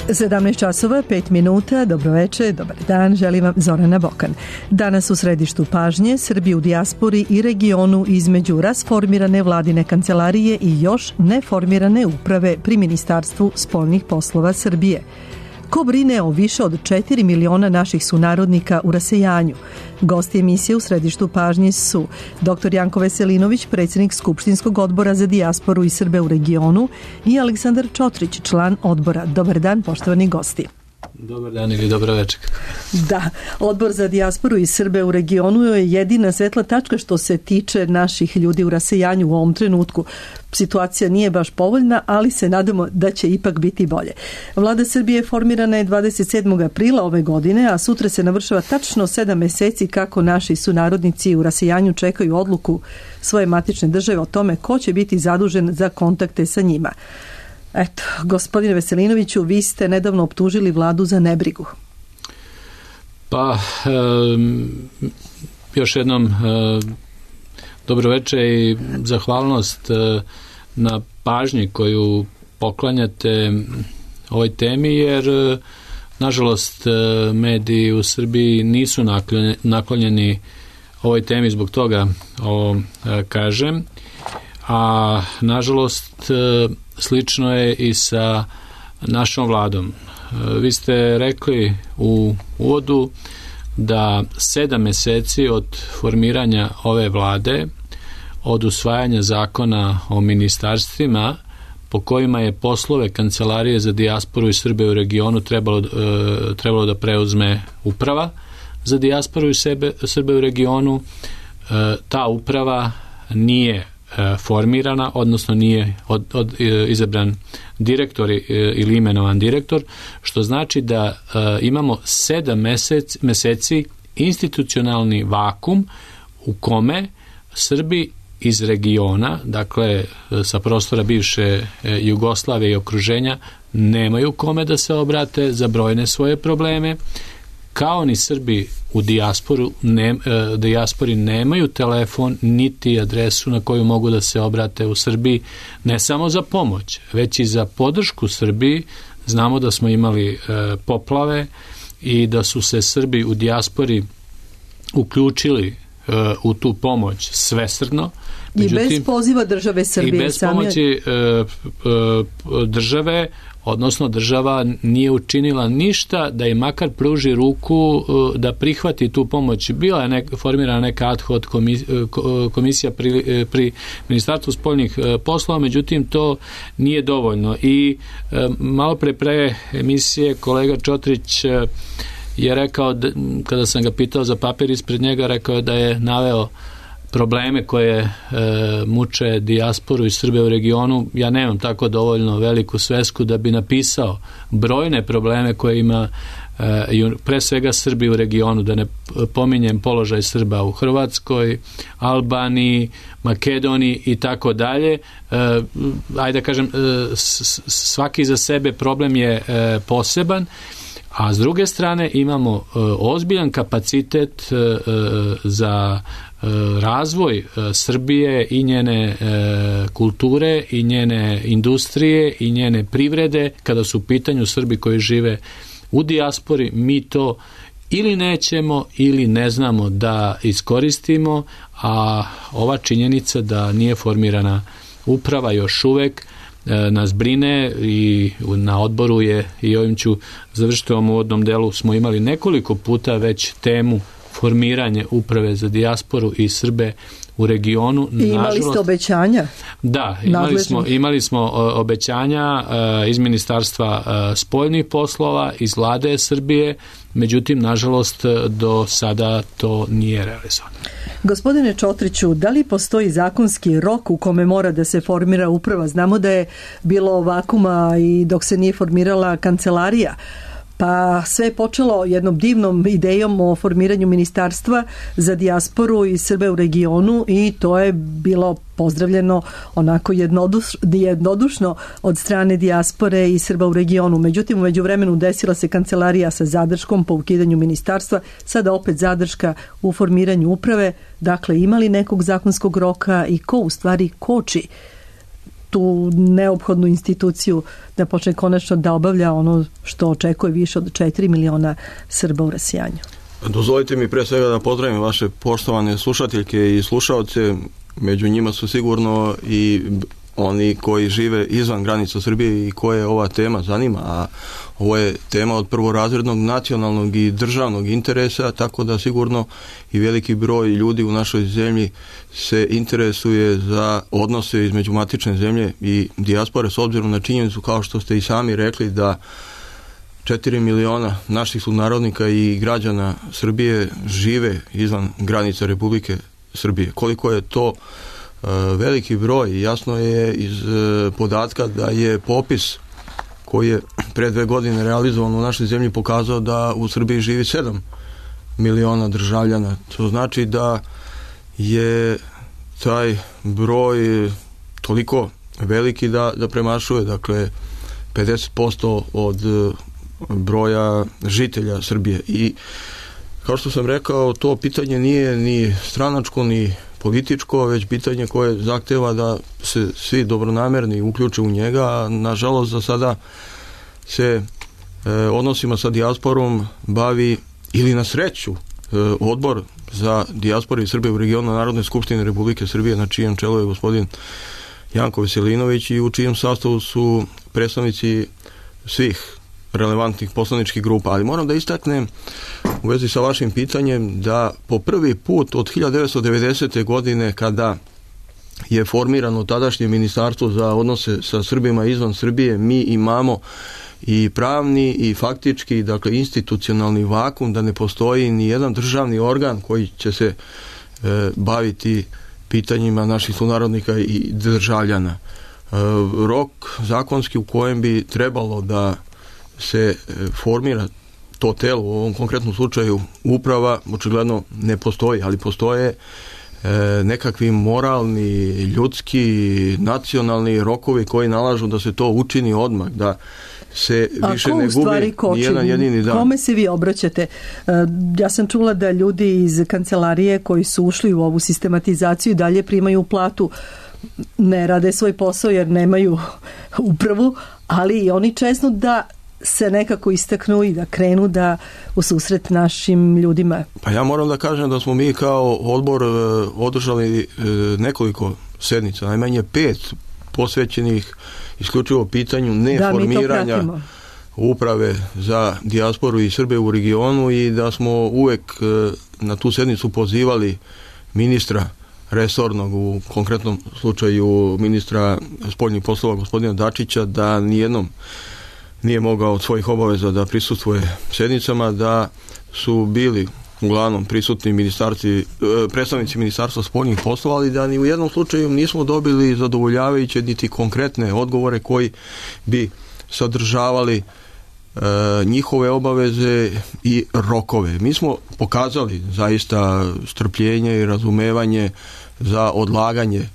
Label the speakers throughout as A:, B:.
A: 17 časova, 5 minuta, dobroveče, dobar dan, želim vam Zorana Bokan. Danas u središtu pažnje Srbi u dijaspori i regionu između rasformirane vladine kancelarije i još neformirane uprave pri Ministarstvu spoljnih poslova Srbije. Ko brine o više od 4 miliona naših sunarodnika u rasejanju? Gosti emisije u središtu pažnje su dr. Janko Veselinović, predsjednik Skupštinskog odbora za dijasporu i Srbe u regionu, i Aleksandar Čotrić, član odbora. Dobar dan, poštovani gosti.
B: Dobar dan ili dobro večer.
A: Da, Odbor za dijasporu i Srbe u regionu je jedina svetla tačka što se tiče naših ljudi u rasejanju u ovom trenutku. Situacija nije baš povoljna, ali se nadamo da će ipak biti bolje. Vlada Srbije formirana je 27. aprila ove godine, a sutra se navršava tačno 7 meseci kako naši sunarodnici u rasejanju čekaju odluku svoje matične države o tome ko će biti zadužen za kontakte sa njima. Eto, gospodine Veselinoviću, vi ste nedavno optužili vladu za nebrigu.
B: Pa, još jednom dobroveče i zahvalnost na pažnji koju poklanjate ovoj temi, jer nažalost mediji u Srbiji nisu naklonjeni ovoj temi, zbog toga ovo kažem, a nažalost slično je i sa našom vladom. Vi ste rekli u uvodu da 7 meseci od formiranja ove vlade, od usvajanja zakona o ministarstvima po kojima je poslove Kancelarije za dijasporu i Srbe u regionu trebalo da preuzme uprava za dijasporu i Srbe u regionu, ta uprava nije formirana, odnosno nije izabran direktor ili imenovan direktor, što znači da imamo 7 meseci institucionalni vakum u kome Srbi iz regiona, dakle sa prostora bivše Jugoslavije i okruženja, nemaju kome da se obrate za brojne svoje probleme, kao ni Srbi u dijaspori nemaju telefon niti adresu na koju mogu da se obrate u Srbiji, ne samo za pomoć, već i za podršku Srbiji. Znamo da smo imali poplave i da su se Srbi u dijaspori uključili u tu pomoć svesrdno.
A: Međutim, i bez poziva države Srbije.
B: I bez pomoći države, odnosno država nije učinila ništa da im makar pruži ruku da prihvati tu pomoć. Bila je formirana neka ad hoc komisija pri Ministarstvu spoljnih poslova, međutim to nije dovoljno. I malo pre emisije kolega Čotrić je rekao, kada sam ga pitao za papir ispred njega, rekao je da je naveo probleme koje muče dijasporu i Srbe u regionu. Ja nemam tako dovoljno veliku svesku da bi napisao brojne probleme koje ima pre svega Srbi u regionu, da ne pominjem položaj Srba u Hrvatskoj, Albaniji, Makedoniji i tako dalje. Ajde da kažem, svaki za sebe problem je poseban, a s druge strane imamo ozbiljan kapacitet za razvoj Srbije i njene kulture i njene industrije i njene privrede. Kada su u pitanju Srbi koji žive u dijaspori, mi to ili nećemo ili ne znamo da iskoristimo, a ova činjenica da nije formirana uprava još uvek nas brine i na odboru je, i ovim ću završiti u ovom uvodnom delu, smo imali nekoliko puta već temu formiranje uprave za dijasporu i Srbe u regionu.
A: I imali ste obećanja?
B: Da, imali smo obećanja iz Ministarstva spoljnih poslova, iz vlade Srbije, međutim, nažalost, do sada to nije realizovano.
A: Gospodine Čotriću, da li postoji zakonski rok u kome mora da se formira uprava? Znamo da je bilo vakuma i dok se nije formirala kancelarija. Pa sve je počelo jednom divnom idejom o formiranju ministarstva za dijasporu i Srbe u regionu i to je bilo pozdravljeno onako jednodušno od strane dijaspore i Srba u regionu. Međutim, u međuvremenu desila se kancelarija sa zadrškom po ukidanju ministarstva, sada opet zadrška u formiranju uprave. Dakle, ima li nekog zakonskog roka i ko u stvari koči tu neophodnu instituciju da počne konačno da obavlja ono što očekuje više od 4 miliona Srba u rasijanju.
C: Dozvolite mi pre svega da pozdravim vaše poštovane slušateljke i slušaoce. Među njima su sigurno i oni koji žive izvan granica Srbije i koje ova tema zanima, a ovo je tema od prvorazrednog nacionalnog i državnog interesa, tako da sigurno i veliki broj ljudi u našoj zemlji se interesuje za odnose između matične zemlje i dijaspore, s obzirom na činjenicu, kao što ste i sami rekli, da 4 miliona naših sunarodnika i građana Srbije žive izvan granica Republike Srbije. Koliko je to veliki broj, jasno je iz podatka da je popis koji je pre 2 godine realizovan u našoj zemlji pokazao da u Srbiji živi 7 miliona državljana. To znači da je taj broj toliko veliki da premašuje, dakle, 50% od broja žitelja Srbije. I kao što sam rekao, to pitanje nije ni stranačko ni političko, već pitanje koje zahteva da se svi dobronamerni uključe u njega, a nažalost za sada se odnosima sa dijasporom bavi, ili na sreću, Odbor za dijasporu i Srbije u regionu Narodne skupštine Republike Srbije, na čijem čelu je gospodin Janko Veselinović i u čijem sastavu su predstavnici svih relevantnih poslaničkih grupa. Ali moram da istaknem u vezi sa vašim pitanjem da po prvi put od 1990. godine, kada je formirano tadašnje ministarstvo za odnose sa Srbima izvan Srbije, mi imamo i pravni i faktički, dakle, institucionalni vakum, da ne postoji ni jedan državni organ koji će se baviti pitanjima naših sunarodnika i državljana. Rok zakonski u kojem bi trebalo da se formira to telo, u ovom konkretnom slučaju uprava, očigledno ne postoji, ali postoje nekakvi moralni, ljudski, nacionalni rokovi koji nalažu da se to učini odmah, da se više ne gubi nijedan jedini dan.
A: Kome se vi obraćate? Ja sam čula da ljudi iz kancelarije koji su ušli u ovu sistematizaciju dalje primaju platu, ne rade svoj posao jer nemaju upravu, ali i oni često da se nekako istaknu i da krenu da u susret našim ljudima.
C: Pa ja moram da kažem da smo mi kao odbor održali nekoliko sednica, najmanje 5 posvećenih isključivo pitanju neformiranja uprave za dijasporu i Srbe u regionu, i da smo uvek na tu sednicu pozivali ministra resornog, u konkretnom slučaju ministra spoljnih poslova gospodina Dačića, da nijednom nije mogao od svojih obaveza da prisustvuje sednicama, da su bili uglavnom prisutni predstavnici ministarstva spoljnih poslova, ali da ni u jednom slučaju nismo dobili zadovoljavajuće niti konkretne odgovore koji bi sadržavali njihove obaveze i rokove. Mi smo pokazali zaista strpljenje i razumevanje za odlaganje,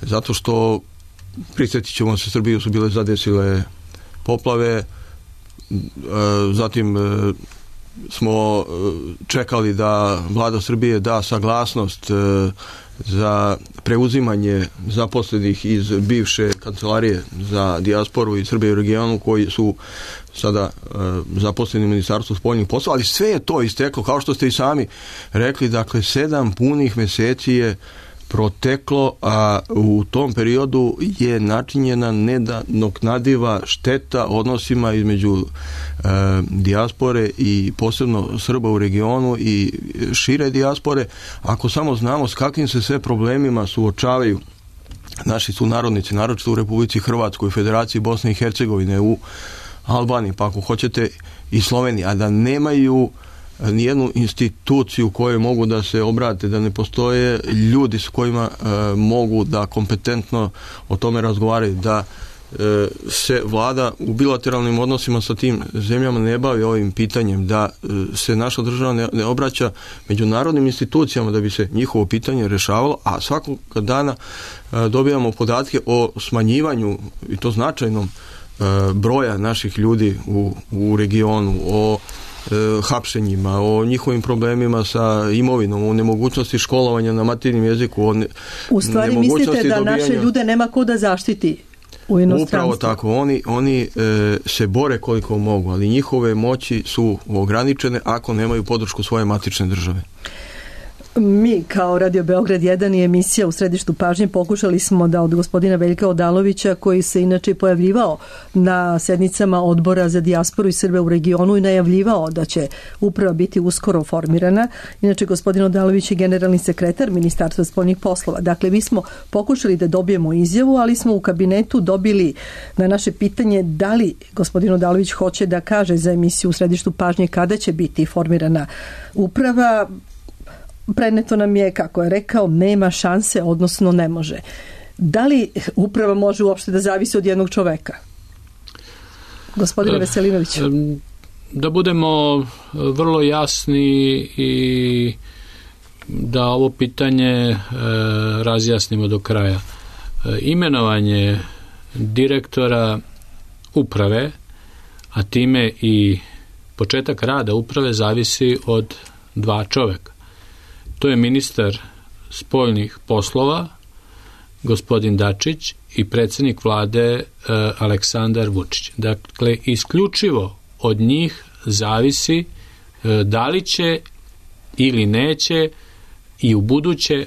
C: zato što, prisjetit ćemo se, Srbiju su bile zadesile poplave, zatim smo čekali da vlada Srbije da saglasnost za preuzimanje zaposlenih iz bivše kancelarije za dijasporu i Srbije u regionu, koji su sada zaposleni u Ministarstvu spoljnih poslova, ali sve je to isteklo, kao što ste i sami rekli, dakle 7 punih meseci je proteklo, a u tom periodu je načinjena nenadoknadiva šteta odnosima između dijaspore i posebno Srba u regionu i šire dijaspore. Ako samo znamo s kakvim se sve problemima suočavaju naši sunarodnici, naročito u Republici Hrvatskoj, u Federaciji Bosne i Hercegovine, u Albaniji, pa ako hoćete i Sloveniji, a da nemaju nijednu instituciju kojoj mogu da se obrate, da ne postoje ljudi s kojima mogu da kompetentno o tome razgovaraju, da se vlada u bilateralnim odnosima sa tim zemljama ne bavi ovim pitanjem, da se naša država ne obraća međunarodnim institucijama da bi se njihovo pitanje rešavalo, a svakog dana dobijamo podatke o smanjivanju, i to značajnom, broja naših ljudi u regionu, o hapšenjima, o njihovim problemima sa imovinom, o nemogućnosti školovanja na materinjem jeziku,
A: u stvari mislite da naše ljude nema ko da zaštiti? u inostranstvu.
C: Upravo tako, oni se bore koliko mogu, ali njihove moći su ograničene ako nemaju podršku svoje matične države.
A: Mi kao Radio Beograd 1 i emisija U središtu pažnje pokušali smo da od gospodina Veljka Odalovića, koji se inače pojavljivao na sednicama Odbora za dijasporu i Srbe u regionu i najavljivao da će uprava biti uskoro formirana. Inače, gospodin Odalović je generalni sekretar Ministarstva spoljnih poslova. Dakle, mi smo pokušali da dobijemo izjavu, ali smo u kabinetu dobili na naše pitanje da li gospodin Odalović hoće da kaže za emisiju U središtu pažnje kada će biti formirana uprava. Preneto nam je, kako je rekao, nema šanse, odnosno ne može. Da li uprava može uopšte da zavisi od jednog čoveka? Gospodine Veselinoviću.
B: Da budemo vrlo jasni i da ovo pitanje razjasnimo do kraja. Imenovanje direktora uprave, a time i početak rada uprave, zavisi od dva čoveka. To je ministar spoljnih poslova, gospodin Dačić, i predsjednik vlade Aleksandar Vučić. Dakle, isključivo od njih zavisi da li će ili neće i u buduće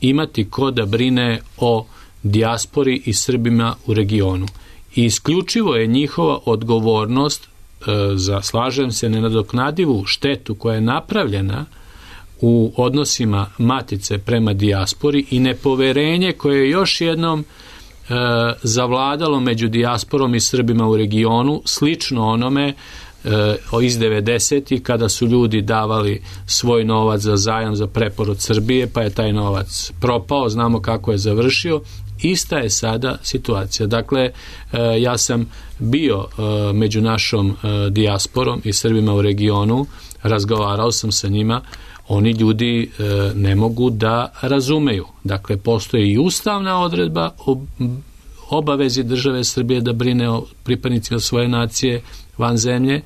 B: imati ko da brine o dijaspori i Srbima u regionu. I isključivo je njihova odgovornost za, slažem se, nenadoknadivu štetu koja je napravljena u odnosima matice prema dijaspori i nepoverenje koje je još jednom zavladalo među dijasporom i Srbima u regionu, slično onome iz 90-ih kada su ljudi davali svoj novac za zajam za preporod Srbije, pa je taj novac propao, znamo kako je završio. Ista je sada situacija. Dakle, ja sam bio među našom dijasporom i Srbima u regionu, razgovarao sam sa njima. Oni ljudi ne mogu da razumeju. Dakle, postoji i ustavna odredba o obavezi države Srbije da brine o pripadnicima svoje nacije van zemlje.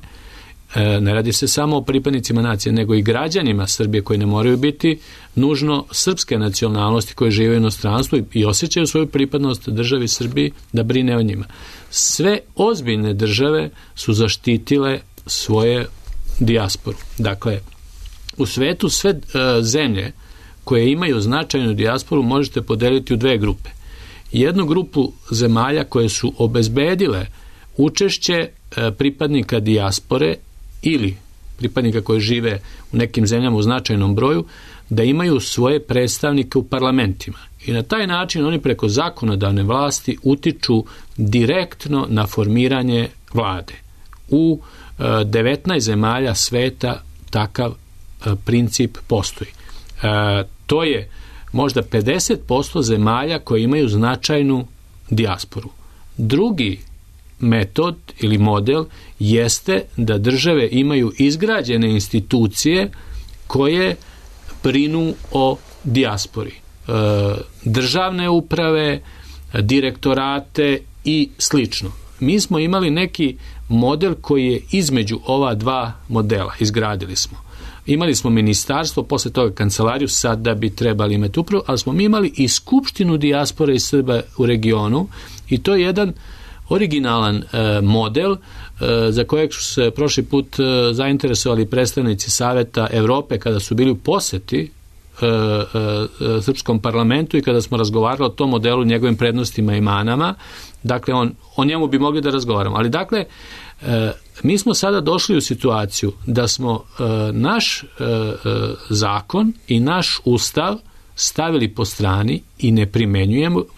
B: Ne radi se samo o pripadnicima nacije, nego i građanima Srbije koji ne moraju biti nužno srpske nacionalnosti koji žive u inostranstvu i osjećaju svoju pripadnost državi Srbiji, da brine o njima. Sve ozbiljne države su zaštitile svoje dijasporu. Dakle, u svetu sve zemlje koje imaju značajnu dijasporu možete podeliti u dve grupe. Jednu grupu zemalja koje su obezbedile učešće pripadnika dijaspore ili pripadnika koji žive u nekim zemljama u značajnom broju, da imaju svoje predstavnike u parlamentima. I na taj način oni preko zakonodavne vlasti utiču direktno na formiranje vlade. U 19 zemalja sveta takav princip postoji. To je možda 50% zemalja koje imaju značajnu dijasporu. Drugi metod ili model jeste da države imaju izgrađene institucije koje brinu o dijaspori. Državne uprave, direktorate i slično. Mi smo imali neki model koji je između ova dva modela, izgradili smo. Imali smo ministarstvo, posle toga kancelariju, sad da bi trebali imati upravu, ali smo mi imali i skupštinu dijaspore i Srba u regionu i to je jedan originalan model za kojeg su se prošli put zainteresovali predstavnici Saveta Evrope kada su bili u poseti srpskom parlamentu i kada smo razgovarali o tom modelu, njegovim prednostima i manama. Dakle, o njemu bi mogli da razgovaramo. Ali dakle, mi smo sada došli u situaciju da smo naš zakon i naš ustav stavili po strani i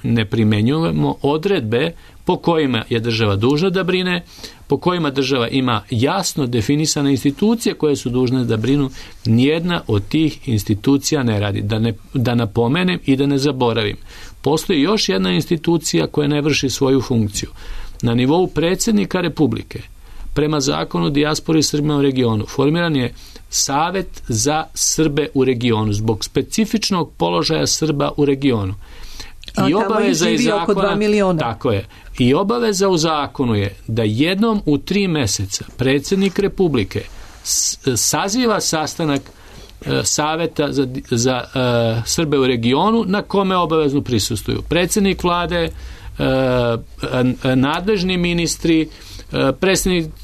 B: ne primenjujemo odredbe po kojima je država dužna da brine, po kojima država ima jasno definisane institucije koje su dužne da brinu. Nijedna od tih institucija ne radi. Da napomenem i da ne zaboravim. Postoji još jedna institucija koja ne vrši svoju funkciju. Na nivou predsjednika Republike, prema zakonu o dijaspori i Srbima u regionu, formiran je Savet za Srbe u regionu zbog specifičnog položaja Srba u regionu.
A: I obaveza iz zakona, oko 2 miliona.
B: Tako je. I obaveza u zakonu je da jednom u 3 meseca predsjednik Republike saziva sastanak Saveta za Srbe u regionu na kome obavezno prisustvuju predsjednik vlade, nadležni ministri,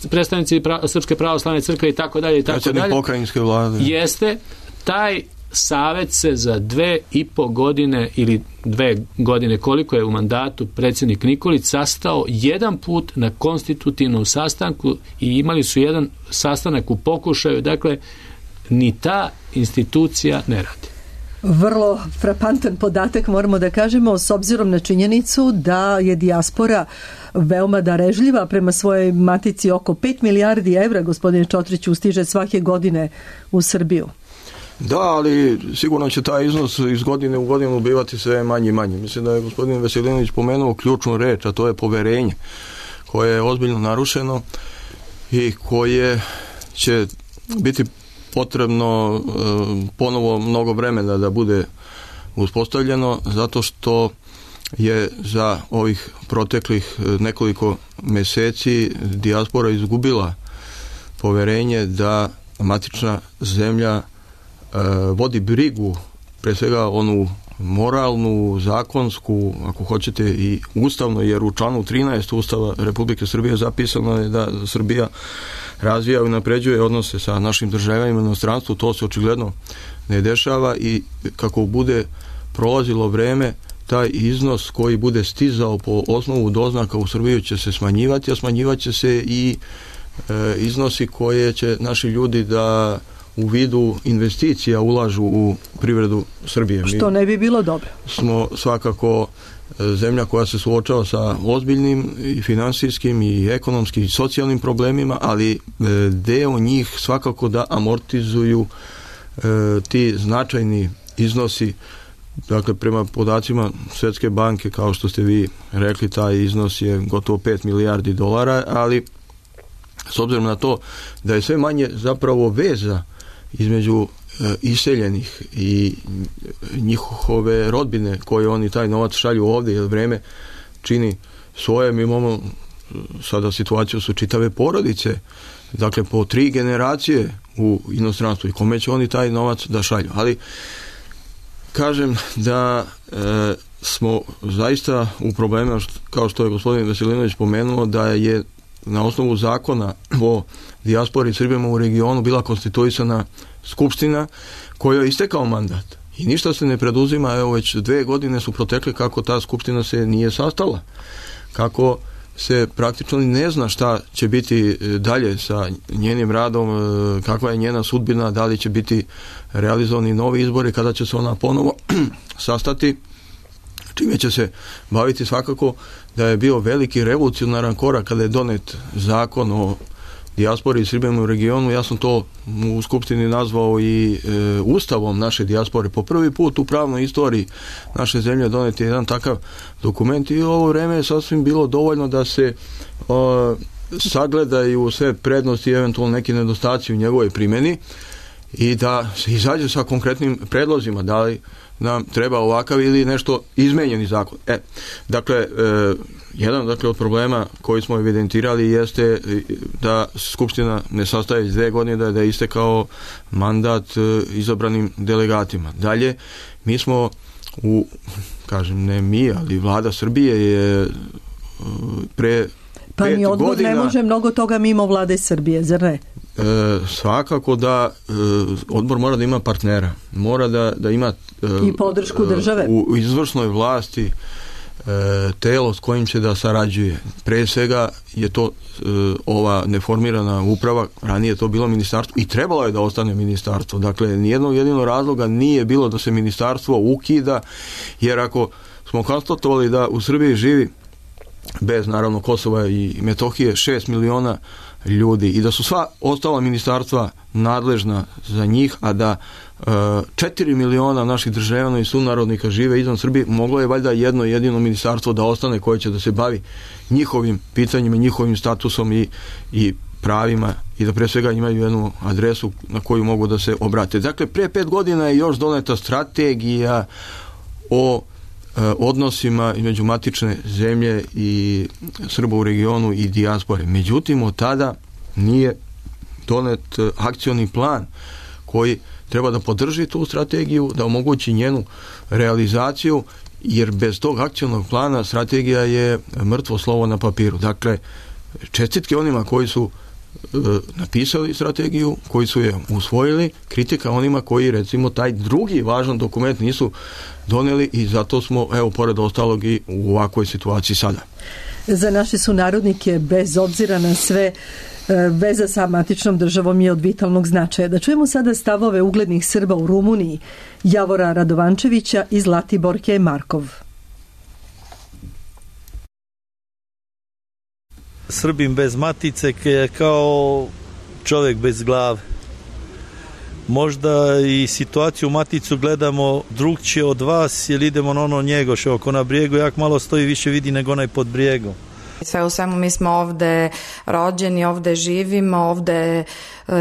B: predstavnici Srpske pravoslavne crkve i tako dalje.
C: Predsjednik pokrajinske vlade.
B: Jeste, taj savet se za 2,5 godine ili 2 godine koliko je u mandatu predsjednik Nikolić sastao jedan put na konstitutivnom sastanku i imali su jedan sastanak u pokušaju, dakle ni ta institucija ne radi.
A: Vrlo frapantan podatak moramo da kažemo s obzirom na činjenicu da je dijaspora veoma darežljiva prema svojoj matici. Oko 5 milijardi evra, gospodine Čotriću, stiže svake godine u Srbiju.
C: Da, ali sigurno će taj iznos iz godine u godinu bivati sve manje i manje. Mislim da je gospodin Veselinović pomenuo ključnu reč, a to je poverenje, koje je ozbiljno narušeno i koje će biti potrebno ponovo mnogo vremena da bude uspostavljeno, zato što je za ovih proteklih nekoliko mjeseci dijaspora izgubila poverenje da matična zemlja vodi brigu, pre svega onu moralnu, zakonsku, ako hoćete i ustavno, jer u članu 13 Ustava Republike Srbije zapisano je da Srbija razvija i unapređuje odnose sa našim državama u inostranstvu. To se očigledno ne dešava i kako bude prolazilo vreme, taj iznos koji bude stizao po osnovu doznaka u Srbiju će se smanjivati, a smanjivat će se i iznosi koje će naši ljudi da u vidu investicija ulažu u privredu Srbije.
A: Što ne bi bilo dobro.
C: Smo svakako zemlja koja se suočava sa ozbiljnim i finansijskim i ekonomskim i socijalnim problemima, ali deo njih svakako da amortizuju ti značajni iznosi. Dakle, prema podacima Svjetske banke, kao što ste vi rekli, taj iznos je gotovo 5 milijardi dolara, ali s obzirom na to da je sve manje zapravo veza između iseljenih i njihove rodbine koje oni taj novac šalju ovdje, jer vreme čini svoje. Mi imamo sada situaciju su čitave porodice, dakle po 3 generacije u inostranstvu, i kome će oni taj novac da šalju. Ali kažem da smo zaista u problemima, kao što je gospodin Veselinović pomenuo, da je na osnovu zakona o dijaspori Srbima u regionu bila konstituisana skupština kojoj je istekao mandat i ništa se ne preduzima. Evo već 2 godine su protekle kako ta skupština se nije sastala, kako se praktično ne zna šta će biti dalje sa njenim radom, kakva je njena sudbina, da li će biti realizovani novi izbori, kada će se ona ponovo sastati, čime će se baviti. Svakako da je bio veliki revolucionaran korak kada je donet zakon o dijaspori i Srbima u regionu. Ja sam to u skupštini nazvao i ustavom naše dijaspore. Po prvi put u pravnoj istoriji naše zemlje donet je jedan takav dokument i u ovo vreme je sasvim bilo dovoljno da se sagledaju sve prednosti i eventualno neki nedostaci u njegovoj primjeni i da se izađe sa konkretnim predlozima, da li nam treba ovakav ili nešto izmenjeni zakon. Dakle, jedan od problema koji smo evidentirali jeste da Skupština ne sastaje iz 2 godine, da je istekao mandat izabranim delegatima. Dalje, mi smo ne mi, ali vlada Srbije je pre 5
A: ni odbor
C: godina...
A: ne može mnogo toga mimo vlade Srbije, zar ne?
C: Svakako da odbor mora da ima partnera, mora da ima
A: i podršku države
C: u izvršnoj vlasti, telo s kojim će da sarađuje. Pre svega je to ova neformirana uprava, ranije je to bilo ministarstvo i trebalo je da ostane ministarstvo. Dakle, nijednog jedinog razloga nije bilo da se ministarstvo ukida, jer ako smo konstatovali da u Srbiji živi, bez naravno Kosova i Metohije, 6 miliona ljudi i da su sva ostala ministarstva nadležna za njih, a da 4 miliona naših državljana i sunarodnika žive izvan Srbije, moglo je valjda jedno jedino ministarstvo da ostane koje će da se bavi njihovim pitanjima, njihovim statusom i pravima i da pre svega imaju jednu adresu na koju mogu da se obrate. Dakle, pre 5 godina je još doneta strategija o odnosima između matične zemlje i Srba u regionu i dijaspore. Međutim, od tada nije donet akcioni plan koji treba da podrži tu strategiju, da omogući njenu realizaciju jer bez tog akcionog plana strategija je mrtvo slovo na papiru. Dakle, čestitke onima koji su napisali strategiju, koji su je usvojili, kritika onima koji recimo taj drugi važan dokument nisu donijeli i zato smo, evo, pored ostalog i u ovakvoj situaciji sada.
A: Za naše sunarodnike, bez obzira na sve, veza sa matičnom državom je od vitalnog značaja. Da čujemo sada stavove uglednih Srba u Rumuniji, Javora Radovančevića i Zlatiborke Markov.
D: Srbin bez matice je kao čovjek bez glave. Možda i situaciju u maticu gledamo drugčije od vas, jer idemo na ono Njegoš, oko na brijegu, jak malo stoji, više vidi nego onaj pod brijegom.
E: Sve u svemu mi smo ovde rođeni, ovde živimo, ovde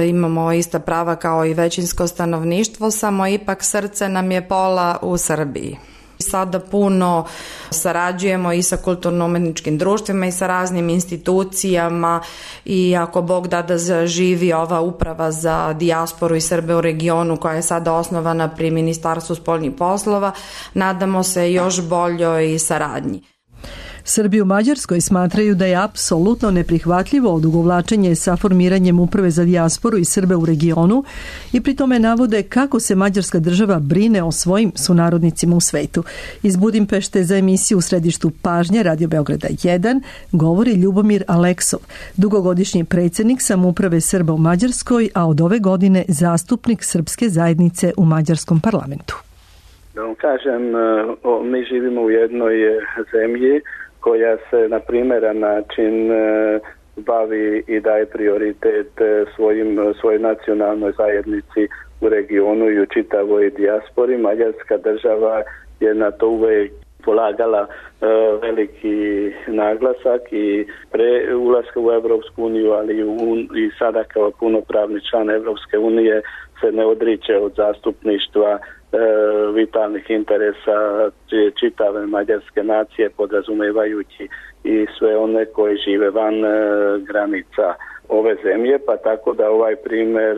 E: imamo ista prava kao i većinsko stanovništvo, samo ipak srce nam je pola u Srbiji. Sada puno sarađujemo i sa kulturno-umetničkim društvima i sa raznim institucijama i ako Bog da zaživi ova uprava za dijasporu i Srbe u regionu koja je sada osnovana pri Ministarstvu spoljnih poslova, nadamo se još boljoj saradnji.
A: Srbi u Mađarskoj smatraju da je apsolutno neprihvatljivo odugovlačenje sa formiranjem uprave za dijasporu i Srbe u regionu i pri tome navode kako se mađarska država brine o svojim sunarodnicima u svetu. Iz Budimpešte za emisiju U središtu pažnje Radio Beograda 1 govori Ljubomir Aleksov, dugogodišnji predsjednik samouprave Srba u Mađarskoj, a od ove godine zastupnik srpske zajednice u mađarskom parlamentu.
F: Da vam kažem, mi živimo u jednoj zemlji koja se na primeran način bavi i daje prioritet svojoj nacionalnoj zajednici u regionu i u čitavoj dijaspori. Mađarska država je na to uvek polagala veliki naglasak i pre ulaska u Evropsku uniju, ali i sada kao punopravni član Evropske unije se ne odriče od zastupništva vitalnih interesa čitave mađarske nacije, podrazumevajući i sve one koji žive van granica ove zemlje, pa tako da ovaj primjer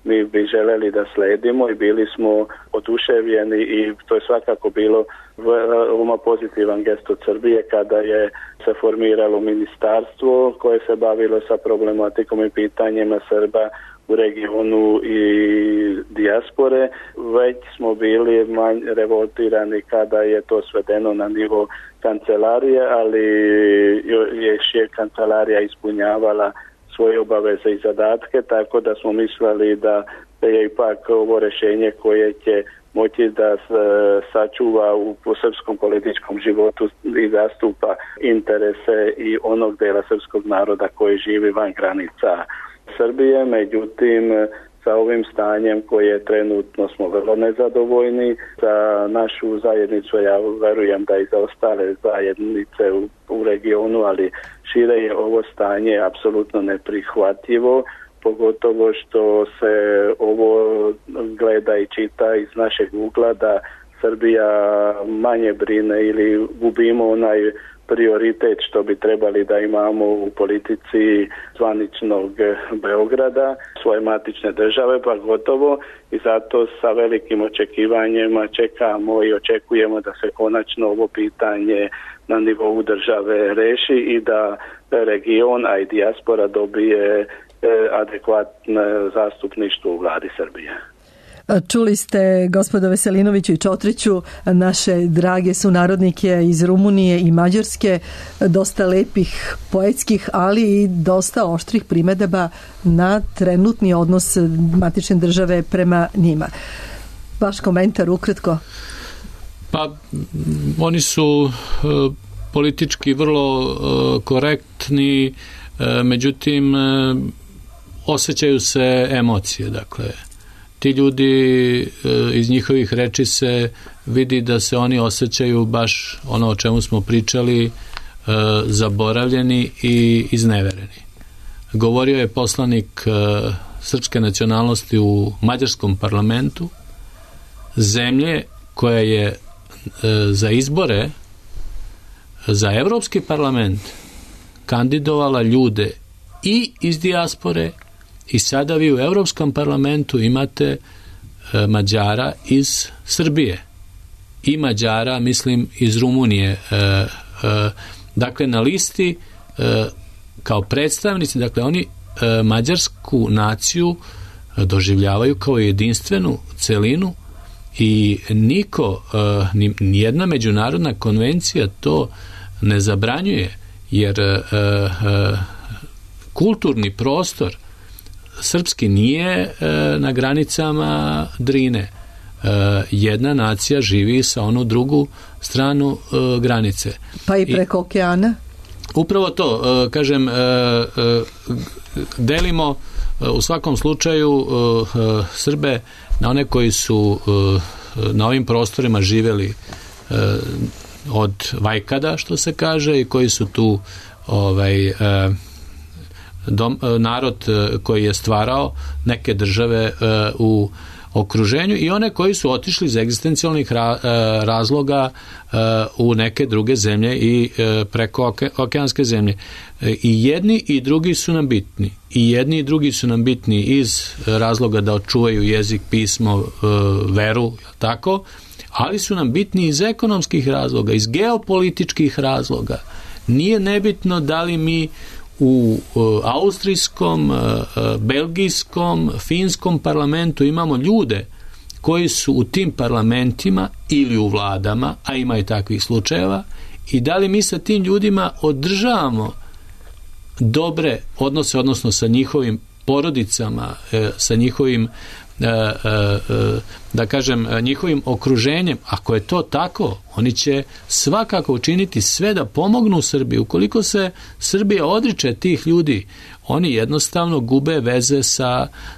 F: mi bi želeli da sledimo i bili smo oduševljeni i to je svakako bilo veoma pozitivan gest od Srbije kada je se formiralo ministarstvo koje se bavilo sa problematikom i pitanjima Srba u regionu i dijaspore. Već smo bili revoltirani kada je to svedeno na nivo kancelarije, ali je kancelarija ispunjavala svoje obaveze i zadatke, tako da smo mislili da je ipak ovo rješenje koje će moći da sačuva u srpskom političkom životu i zastupa interese i onog dela srpskog naroda koji živi van granica Srbije. Međutim, sa ovim stanjem koje trenutno smo vrlo nezadovoljni za našu zajednicu, ja verujem da i za ostale zajednice u regionu, ali šire je ovo stanje apsolutno neprihvatljivo, pogotovo što se ovo gleda i čita iz našeg ugla da Srbija manje brine ili gubimo onaj prioritet što bi trebali da imamo u politici zvaničnog Beograda, svoje matične države, pa gotovo, i zato sa velikim očekivanjima čekamo i očekujemo da se konačno ovo pitanje na nivou države reši i da region, a i dijaspora dobije adekvatno zastupništvo u vladi Srbije.
A: Čuli ste, gospodo Veselinoviću i Čotriću, naše drage sunarodnike iz Rumunije i Mađarske, dosta lepih, poetskih, ali i dosta oštrih primedaba na trenutni odnos matične države prema njima. Vaš komentar ukratko?
B: Pa, oni su politički vrlo korektni, međutim, osjećaju se emocije, dakle, ti ljudi iz njihovih reči se vidi da se oni osjećaju baš ono o čemu smo pričali, zaboravljeni i iznevereni. Govorio je poslanik srpske nacionalnosti u mađarskom parlamentu, zemlje koja je za izbore za Evropski parlament kandidovala ljude i iz dijaspore, i sada vi u Evropskom parlamentu imate Mađara iz Srbije. i Mađara, mislim iz Rumunije. Dakle, na listi kao predstavnici, dakle, oni mađarsku naciju doživljavaju kao jedinstvenu celinu i niko, nijedna međunarodna konvencija to ne zabranjuje, jer kulturni prostor srpski nije na granicama Drine. Jedna nacija živi sa onu drugu stranu granice.
A: Pa i preko okeana?
B: Upravo to, kažem, delimo u svakom slučaju Srbe na one koji su na ovim prostorima živeli od vajkada, što se kaže, i koji su tu narod koji je stvarao neke države u okruženju i one koji su otišli iz egzistencijalnih razloga u neke druge zemlje i preko okeanske zemlje. I jedni i drugi su nam bitni. I jedni i drugi su nam bitni iz razloga da očuvaju jezik, pismo, veru, tako, ali su nam bitni iz ekonomskih razloga, iz geopolitičkih razloga. Nije nebitno da li mi u austrijskom, belgijskom, finskom parlamentu imamo ljude koji su u tim parlamentima ili u vladama, a ima i takvih slučajeva, i da li mi sa tim ljudima održavamo dobre odnose, odnosno sa njihovim porodicama, sa njihovim da kažem, njihovim okruženjem. Ako je to tako, oni će svakako učiniti sve da pomognu Srbiji. Ukoliko se Srbija odriče tih ljudi, oni jednostavno gube veze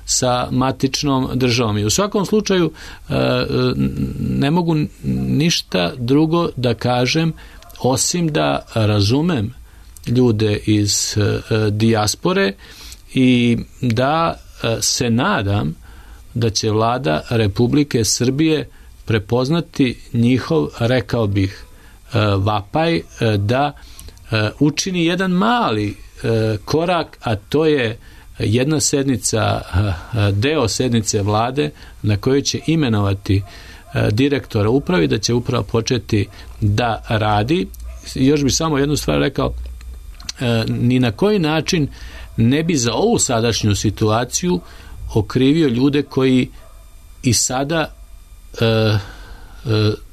B: sa matičnom državom. I u svakom slučaju ne mogu ništa drugo da kažem osim da razumem ljude iz dijaspore i da se nadam da će vlada Republike Srbije prepoznati njihov, rekao bih, vapaj da učini jedan mali korak, a to je jedna sednica, deo sednice vlade na kojoj će imenovati direktora upravi, da će uprava početi da radi. Još bi samo jednu stvar rekao, ni na koji način ne bi za ovu sadašnju situaciju okrivio ljude koji i sada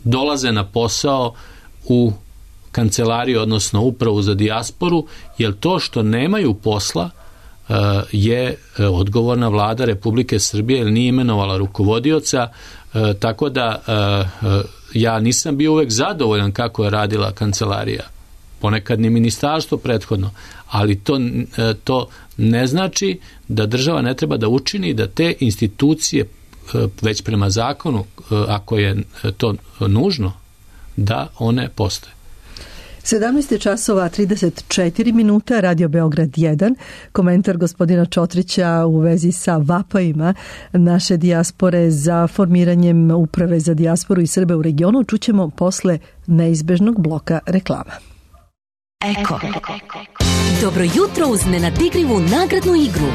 B: dolaze na posao u kancelariju, odnosno upravu za dijasporu, jer to što nemaju posla je odgovorna vlada Republike Srbije, jer nije imenovala rukovodioca, tako da ja nisam bio uvek zadovoljan kako je radila kancelarija, ponekad ni ministarstvo prethodno, ali to ne znači da država ne treba da učini da te institucije već prema zakonu, ako je to nužno, da one postoje.
A: 17 časova 34 minuta, Radio Beograd 1, komentar gospodina Čotrića u vezi sa vapajima naše dijaspore za formiranjem uprave za dijasporu i Srbe u regionu čućemo posle neizbežnog bloka reklama.
G: Eko. Dobro jutro uz nenadigrivu nagradnu igru.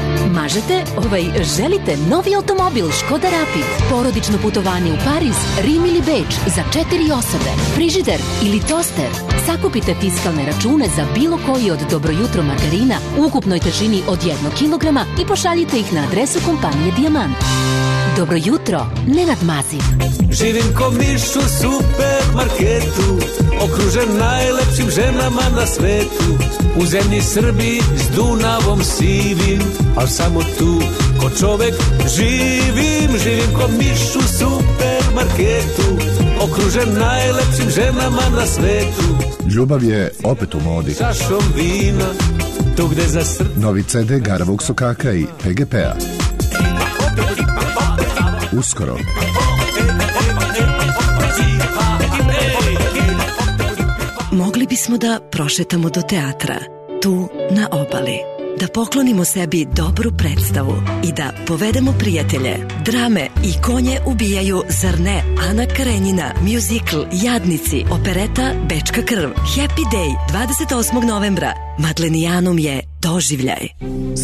G: Želite novi automobil Škoda Rapid, porodično putovanje u Pariz, Rim ili Beč za 4 osobe, frižider ili toster. Sakupite fiskalne račune za bilo koji od Dobro jutro margarina u ukupnoj težini od 1 kilograma i pošaljite ih na adresu kompanije Dijamant. Dobro jutro, Nenad Mazin.
H: Živim ko miš u supermarketu, okružen najlepšim ženama na svetu. U zemlji Srbiji s Dunavom sivim, al samo tu ko čovek živim ko miš u supermarketu, okružen najlepšim ženama na svetu.
I: Ljubav je opet u modi.
H: Čašom vina, tu gde za
I: novi CD Garavog Sokaka i PGP-a. Uskoro.
J: Mogli bismo da prošetamo do teatra, tu na obali, da poklonimo sebi dobru predstavu i da povedemo prijatelje. Drame i konje ubijaju, zar ne? Ana Karenjina, muzikl Jadnici, opereta Bečka krv, Happy Day 28. novembra. Madlenijanum je doživljaj.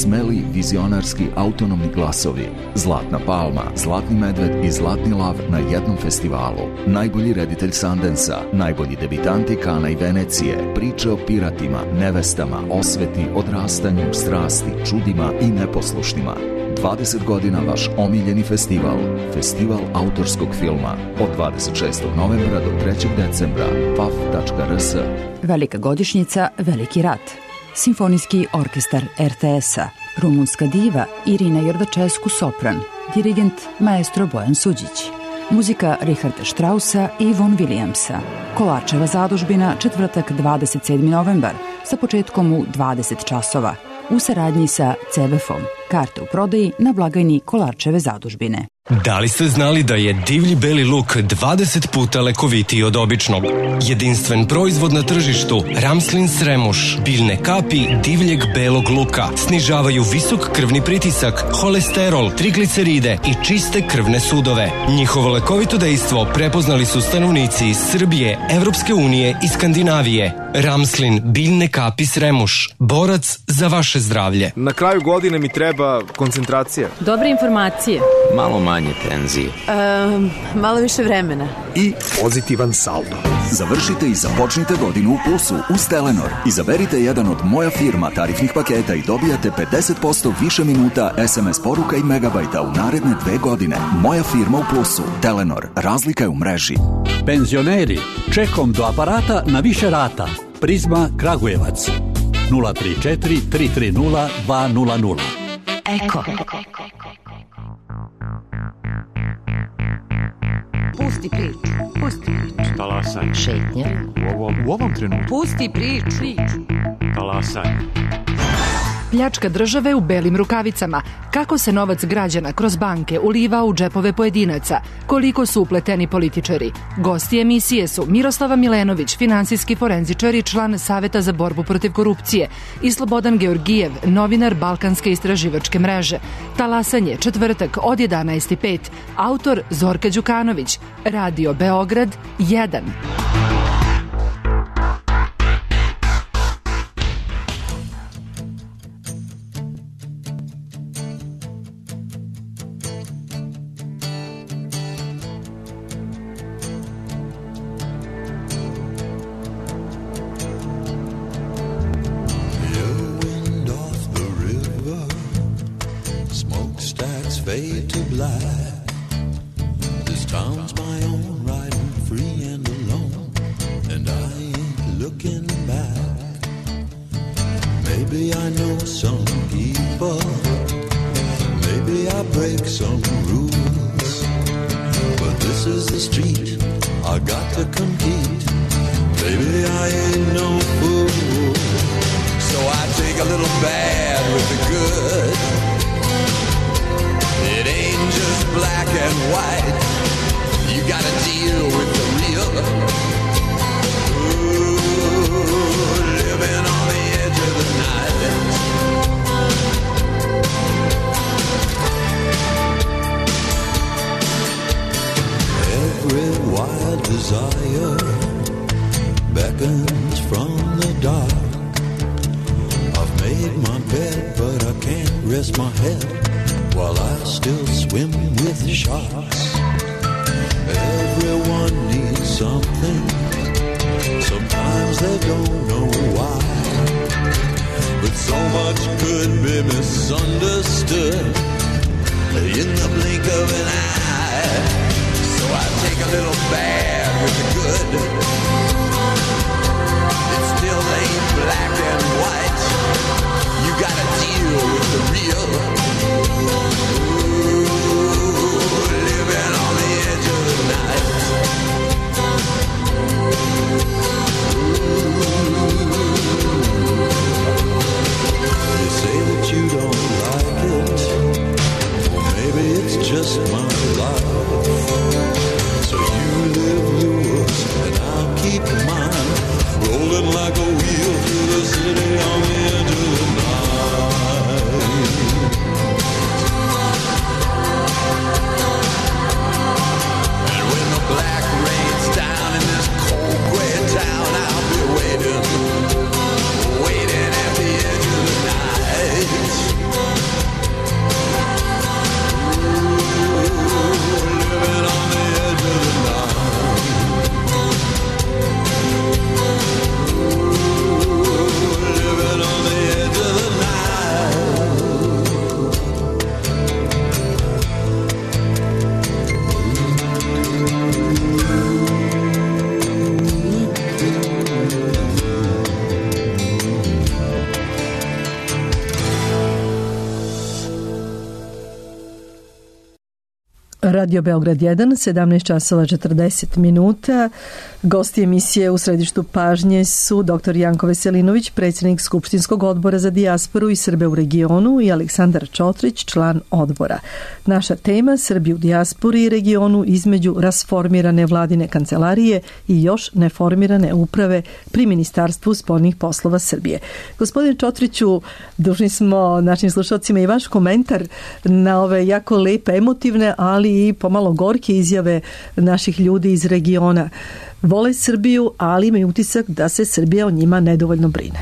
K: Smeli, vizionarski, autonomni glasovi. Zlatna palma, Zlatni medved i Zlatni lav na jednom festivalu. Najbolji reditelj Sundansa, najbolji debitanti Kana i Venecije, priče o piratima, nevestama, osveti, odrastanju, strasti, čudima i neposlušnima. 20 godina vaš omiljeni festival. Festival autorskog filma. Od 26. novembra do 3. decembra. paf.rs.
L: Velika godišnjica, veliki rat. Simfonijski orkestar RTS-a. Rumunska diva Irina Jordačesku sopran. Dirigent maestro Bojan Suđić. Muzika Richarda Straussa i Von Williamsa. Kolarčeva zadužbina, četvrtak 27. novembar, sa početkom u 20 časova. U saradnji sa CBF-om. Karte u prodaji na blagajni Kolarčeve zadužbine.
M: Da li ste znali da je divlji beli luk 20 puta lekovitiji od običnog? Jedinstven proizvod na tržištu, Ramslin Sremuš, biljne kapi divljeg belog luka, snižavaju visok krvni pritisak, holesterol, trigliceride i čiste krvne sudove. Njihovo lekovito dejstvo prepoznali su stanovnici iz Srbije, Evropske unije i Skandinavije. Ramslin, biljne kapi Sremuš, borac za vaše zdravlje.
N: Na kraju godine mi treba koncentracija.
O: Dobre informacije.
P: Malo manje tenzije.
O: Malo više vremena.
Q: I pozitivan saldo.
R: Završite i započnite godinu u plusu uz Telenor. Izaberite jedan od Moja firma tarifnih paketa i dobijate 50% više minuta, SMS poruka i megabajta u naredne 2 godine. Moja firma u plusu. Telenor. Razlika je u mreži.
S: Penzioneri, čekom do aparata na više rata. Prizma Kragujevac. 034 330 200.
G: Eko.
T: Pusti priču. Pusti priču.
U: Talasaj.
G: Šetnja.
U: U ovom trenutku.
T: Pusti priču.
U: Talasaj.
V: Pljačka države u belim rukavicama. Kako se novac građana kroz banke uliva u džepove pojedinaca? Koliko su upleteni političari? Gosti emisije su Miroslava Milenović, finansijski forenzičar i član Saveta za borbu protiv korupcije, i Slobodan Georgijev, novinar Balkanske istraživačke mreže. Talasanje, četvrtak od 11:05. Autor Zorka Đukanović. Radio Beograd 1.
W: Fade to black. This town's my own, riding free and alone, and I ain't looking back. Maybe I know some people, maybe I break some rules, but this is the street I got to compete. Baby, I ain't no fool, so I take a little bad with the good. It ain't just black and white. You gotta deal with the real. Ooh, living on the edge of the night. Every wild desire beckons from the dark. I've made my bed, but I can't rest my head while I still swim with sharks. Everyone needs something. Sometimes they don't know why, but so much could be misunderstood in the blink of an eye. So I take a little bad with the good. It still ain't black and white. You gotta deal with the real. Living on the edge of the night. You say that you don't like it. Well, maybe it's just my life. So you live yours and I'll keep mine. Rolling like a wheel through the city on the edge of the night. Black rains down in this cold gray town. I'll be waiting at the edge of the night.
A: Radio Beograd 1, 17 časova 40 minuta. Gosti emisije u središtu pažnje su dr. Janko Veselinović, predsjednik Skupštinskog odbora za dijasporu i Srbe u regionu, i Aleksandar Čotrić, član odbora. Naša tema: Srbi u dijaspori i regionu između rasformirane vladine kancelarije i još neformirane uprave pri Ministarstvu spoljnih poslova Srbije. Gospodine Čotriću, dužni smo našim slušalcima i vaš komentar na ove jako lepe, emotivne, ali i pomalo gorke izjave naših ljudi iz regiona. Vole Srbiju, ali imaju utisak da se Srbija o njima nedovoljno brine.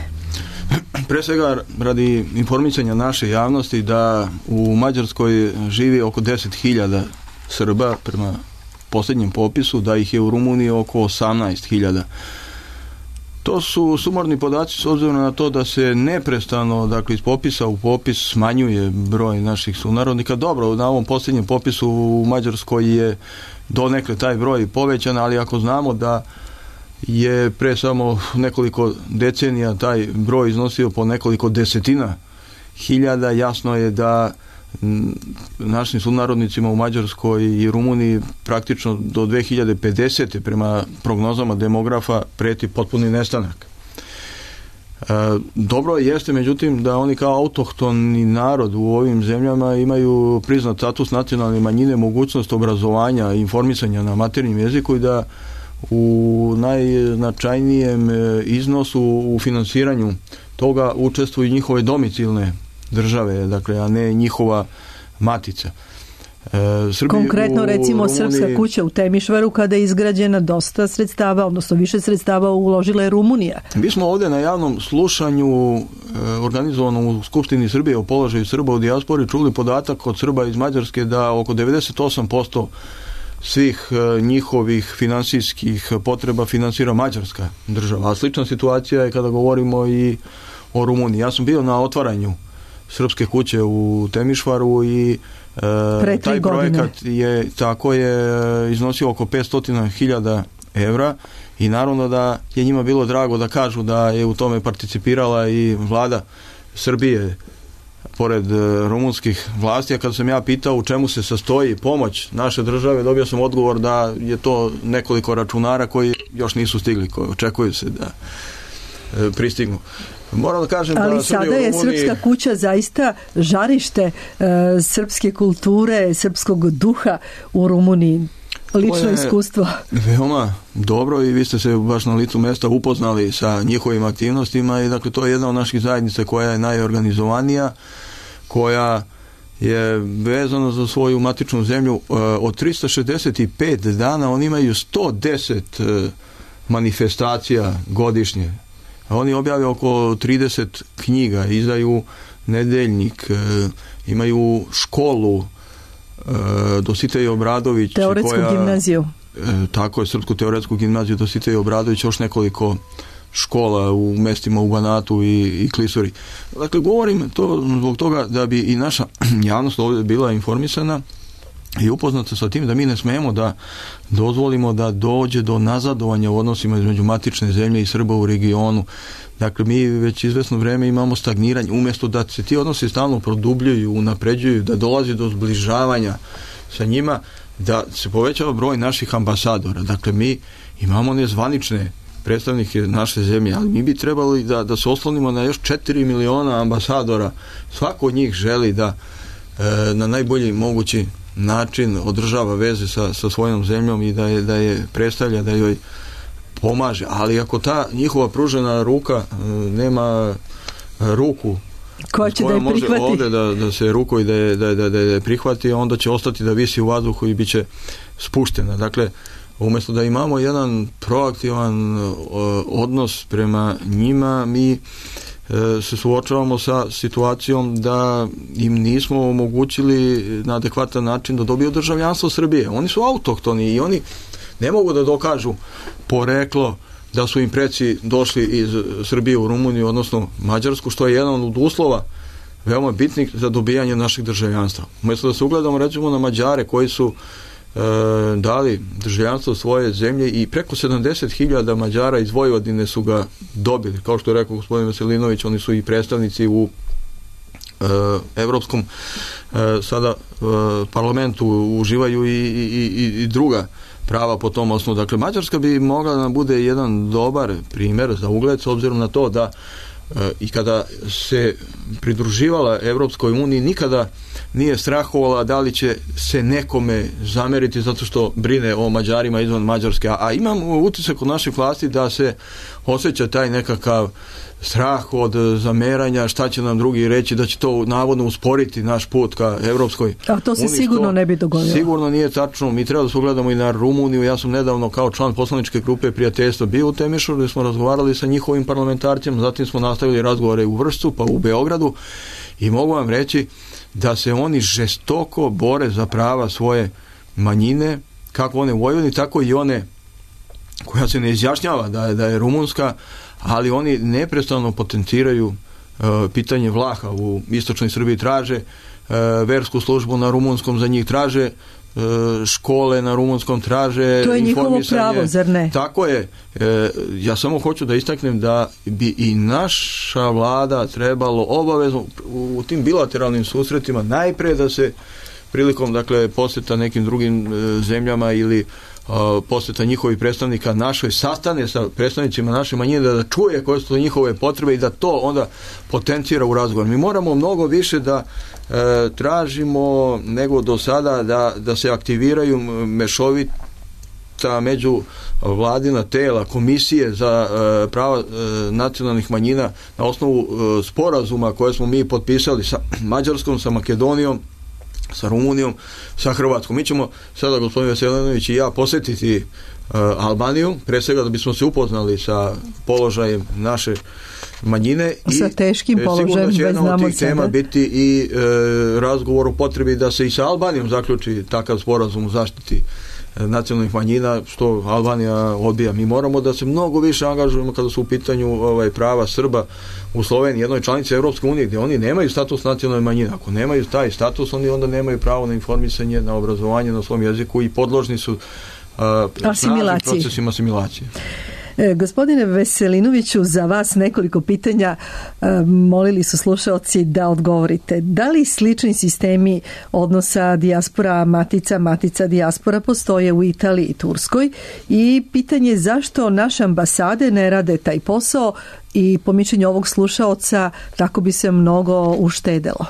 C: Pre svega radi informisanja naše javnosti da u Mađarskoj živi oko 10.000 Srba prema posljednjem popisu, da ih je u Rumuniji oko 18.000. To su sumorni podaci s obzirom na to da se neprestano, dakle iz popisa u popis, smanjuje broj naših sunarodnika. Dobro, na ovom posljednjem popisu u Mađarskoj je donekle taj broj povećan, ali ako znamo da je pre samo nekoliko decenija taj broj iznosio po nekoliko desetina hiljada, jasno je da našim sunarodnicima u Mađarskoj i Rumuniji praktično do 2050. prema prognozama demografa preti potpuni nestanak. Dobro jeste, međutim, da oni kao autohtoni narod u ovim zemljama imaju priznat status nacionalne manjine, mogućnost obrazovanja i informisanja na materinjem jeziku i da u najznačajnijem iznosu u finansiranju toga učestvuju njihove domicilne države, dakle, a ne njihova matica.
A: Konkretno, recimo, Srpska kuća u Temišvaru, kada je izgrađena, dosta sredstava, odnosno više sredstava uložila je Rumunija.
C: Mi smo ovdje na javnom slušanju organizovanom u Skupštini Srbije o položaju Srba u dijaspori čuli podatak od Srba iz Mađarske da oko 98% svih njihovih finansijskih potreba finansira Mađarska država. A slična situacija je kada govorimo i o Rumuniji. Ja sam bio na otvaranju Srpske kuće u Temišvaru i taj projekat je iznosio oko 500.000 evra i naravno da je njima bilo drago da kažu da je u tome participirala i vlada Srbije pored rumunskih vlasti, a kada sam ja pitao u čemu se sastoji pomoć naše države, dobio sam odgovor da je to nekoliko računara koji još nisu stigli, koji očekuju se da pristignu. Moram da kažem,
A: ali sada je Srpska kuća zaista žarište srpske kulture, srpskog duha u Rumuniji. Lično iskustvo.
C: Veoma dobro i vi ste se baš na licu mesta upoznali sa njihovim aktivnostima i dakle to je jedna od naših zajednica koja je najorganizovanija, koja je vezana za svoju matičnu zemlju. Od 365 dana oni imaju 110 manifestacija godišnje. Oni objavljaju oko 30 knjiga, izdaju nedeljnik, imaju školu Dositej Obradović,
A: teoretsku gimnaziju.
C: Tako je, Srpsku teoretsku gimnaziju Dositej Obradović, još nekoliko škola u mestima u Banatu i Klisuri. Dakle, govorim to zbog toga da bi i naša javnost ovdje bila informisana i upoznata sa tim da mi ne smemo da dozvolimo da dođe do nazadovanja u odnosima između matične zemlje i Srba u regionu. Dakle, mi već izvesno vreme imamo stagniranje, umjesto da se ti odnosi stalno produbljuju, unapređuju, da dolazi do zbližavanja sa njima, da se povećava broj naših ambasadora. Dakle, mi imamo nezvanične predstavnike naše zemlje, ali mi bi trebali da se oslonimo na još 4 miliona ambasadora. Svako od njih želi da na najbolji mogući način održava veze sa svojom zemljom i da je predstavlja, da joj pomaže, ali ako ta njihova pružena ruka nema ruku
A: koja će da je
C: može
A: prihvati
C: ovdje da se ruko i da je prihvati, onda će ostati da visi u vazduhu i bit će spuštena. Dakle, umjesto da imamo jedan proaktivan odnos prema njima, mi se suočavamo sa situacijom da im nismo omogućili na adekvatan način da dobiju državljanstvo Srbije. Oni su autohtoni i oni ne mogu da dokažu poreklo da su im preci došli iz Srbije u Rumuniju, odnosno Mađarsku, što je jedan od uslova veoma bitnih za dobijanje našeg državljanstva. Umjesto da se ugledamo recimo na Mađare koji su dali državljanstvo svoje zemlje i preko 70.000 Mađara iz Vojvodine su ga dobili. Kao što je rekao gospodin Veselinović, oni su i predstavnici u Evropskom sada parlamentu uživaju i druga prava po tom osnovu. Dakle, Mađarska bi mogla da bude jedan dobar primjer za ugled, s obzirom na to da i kada se pridruživala Evropskoj uniji nikada nije strahovala da li će se nekome zameriti zato što brine o Mađarima izvan Mađarske, a imam utisak kod naših vlasti da se osjeća taj nekakav strah od zameranja, šta će nam drugi reći, da će to navodno usporiti naš put ka Evropskoj uniji.
A: A to se sigurno ne bi dogodilo.
C: Sigurno nije tačno. Mi treba da se ugledamo i na Rumuniju. Ja sam nedavno kao član poslaničke grupe prijateljstva bio u Temišu, gdje smo razgovarali sa njihovim parlamentarcima, zatim smo nastavili razgovore u Vršcu, pa u Beogradu, i mogu vam reći da se oni žestoko bore za prava svoje manjine, kako one u Vojvodini, tako i one koja se ne izjašnjava da je rumunska, ali oni neprestano potenciraju pitanje Vlaha u istočnoj Srbiji, traže versku službu na rumunskom za njih, traže škole na rumunskom, traže
A: to je njihovo pravo, zar ne?
C: Tako je. Ja samo hoću da istaknem da bi i naša vlada trebalo obavezno u tim bilateralnim susretima najpre da se prilikom, dakle, posjeta nekim drugim zemljama ili posjeta njihovih predstavnika našoj, sastane sa predstavnicima naše manjine, da čuje koje su njihove potrebe i da to onda potencira u razgovor. Mi moramo mnogo više da tražimo nego do sada da se aktiviraju mešovita među vladina tela, komisije za prava nacionalnih manjina na osnovu sporazuma koje smo mi potpisali sa Mađarskom, sa Makedonijom, sa Rumunijom, sa Hrvatskom. Mi ćemo sada, gospodin Veselinović i ja, posjetiti Albaniju, pre svega da bismo se upoznali sa položajem naše manjine
A: sa teškim položajem,
C: sigurno će jedna od tih tema biti i razgovor o potrebi da se i sa Albanijom zaključi takav sporazum u zaštiti nacionalnih manjina, što Albanija odbija. Mi moramo da se mnogo više angažujemo kada su u pitanju prava Srba u Sloveniji, jednoj članici Evropske unije, gdje oni nemaju status nacionalne manjine. Ako nemaju taj status, oni onda nemaju pravo na informisanje, na obrazovanje na svom jeziku i podložni su snažnim procesima asimilacije.
A: Gospodine Veselinoviću, za vas nekoliko pitanja molili su slušalci da odgovorite. Da li slični sistemi odnosa dijaspora matica dijaspora postoje u Italiji i Turskoj? I pitanje zašto naše ambasade ne rade taj posao i po mišljenju ovog slušaoca tako bi se mnogo uštedelo?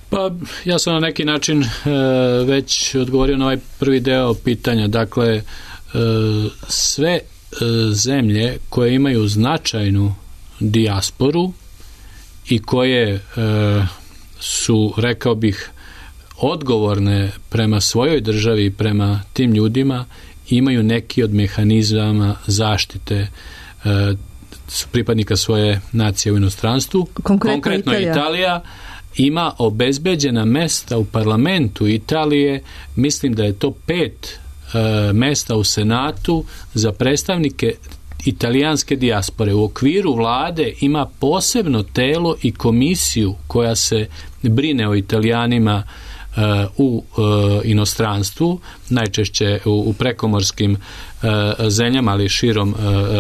B: Pa ja sam na neki način već odgovorio na ovaj prvi deo pitanja. Dakle, sve zemlje koje imaju značajnu dijasporu i koje su, rekao bih, odgovorne prema svojoj državi i prema tim ljudima, imaju neki od mehanizama zaštite pripadnika svoje nacije u inostranstvu. Konkretno Italija ima obezbeđena mesta u parlamentu Italije, mislim da je to 5 mesta u Senatu za predstavnike italijanske dijaspore. U okviru vlade ima posebno telo i komisiju koja se brine o Italijanima u inostranstvu, najčešće u prekomorskim zemljama, ali širom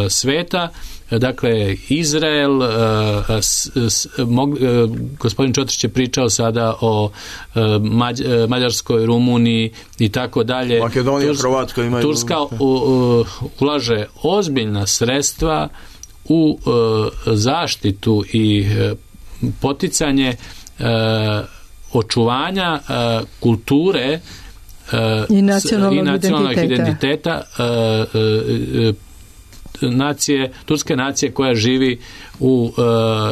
B: sveta. Dakle, Izrael, gospodin Čotrić je pričao sada o Mađarskoj, Rumuniji i tako dalje.
C: Makedonija, Hrvatska imaju.
B: Turska ulaže ozbiljna sredstva u zaštitu i poticanje očuvanja kulture
A: i nacionalnog
B: identiteta nacije, turske nacije koja živi u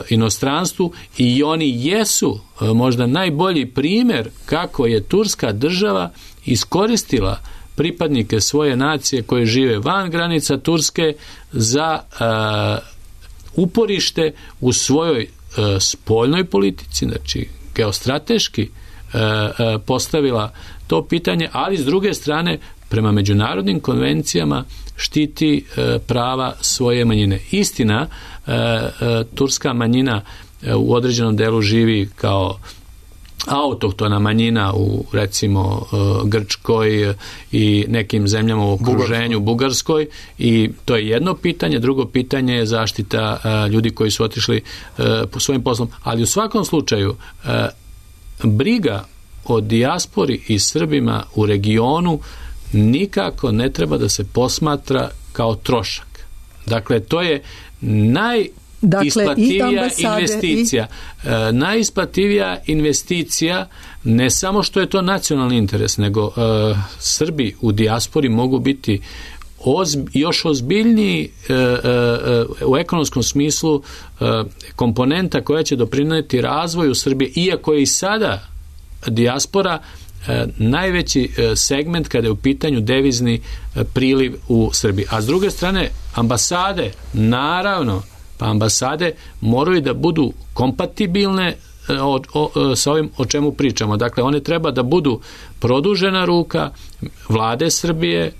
B: inostranstvu, i oni jesu možda najbolji primjer kako je turska država iskoristila pripadnike svoje nacije koje žive van granica Turske za uporište u svojoj spoljnoj politici, znači geostrateški postavila to pitanje, ali s druge strane prema međunarodnim konvencijama štiti prava svoje manjine. Istina, turska manjina u određenom delu živi kao autohtona manjina u recimo Grčkoj i nekim zemljama u okruženju, Bugarskoj, i to je jedno pitanje. Drugo pitanje je zaštita ljudi koji su otišli po svojim poslom, ali u svakom slučaju briga o dijaspori i Srbima u regionu nikako ne treba da se posmatra kao trošak. Dakle, to je najisplativija investicija. Najisplativija investicija, ne samo što je to nacionalni interes, nego Srbi u dijaspori mogu biti još ozbiljniji u ekonomskom smislu komponenta koja će doprinijeti razvoju Srbije, iako je i sada dijaspora najveći segment kada je u pitanju devizni priliv u Srbiji. A s druge strane, ambasade, naravno, pa ambasade moraju da budu kompatibilne sa ovim o čemu pričamo. Dakle, one treba da budu produžena ruka vlade Srbije,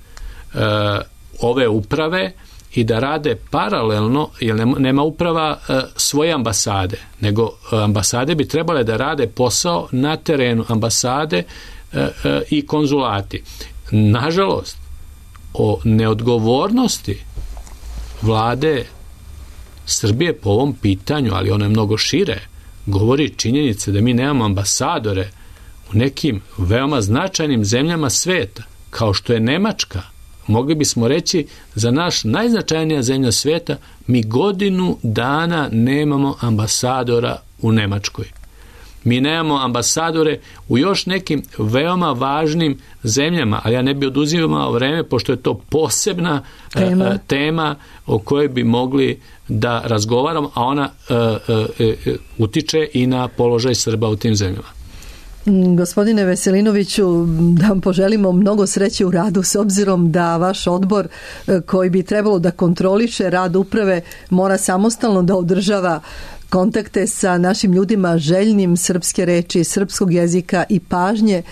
B: ove uprave, i da rade paralelno, jer nema uprava svoje ambasade, nego ambasade bi trebale da rade posao na terenu, ambasade i konzulati. Nažalost, o neodgovornosti vlade Srbije po ovom pitanju, ali ono je mnogo šire, govori činjenice da mi nemamo ambasadore u nekim veoma značajnim zemljama sveta, kao što je Nemačka. Mogli bismo reći za naš najznačajnija zemlja sveta, mi godinu dana nemamo ambasadora u Nemačkoj. Mi nemamo ambasadore u još nekim veoma važnim zemljama, ali ja ne bi oduzimao vreme, pošto je to posebna tema o kojoj bi mogli da razgovaramo, a ona utiče i na položaj Srba u tim zemljama.
A: Gospodine Veselinoviću, da vam poželimo mnogo sreće u radu, s obzirom da vaš odbor koji bi trebalo da kontroliše rad uprave mora samostalno da održava kontakte sa našim ljudima željnim srpske reči, srpskog jezika i pažnje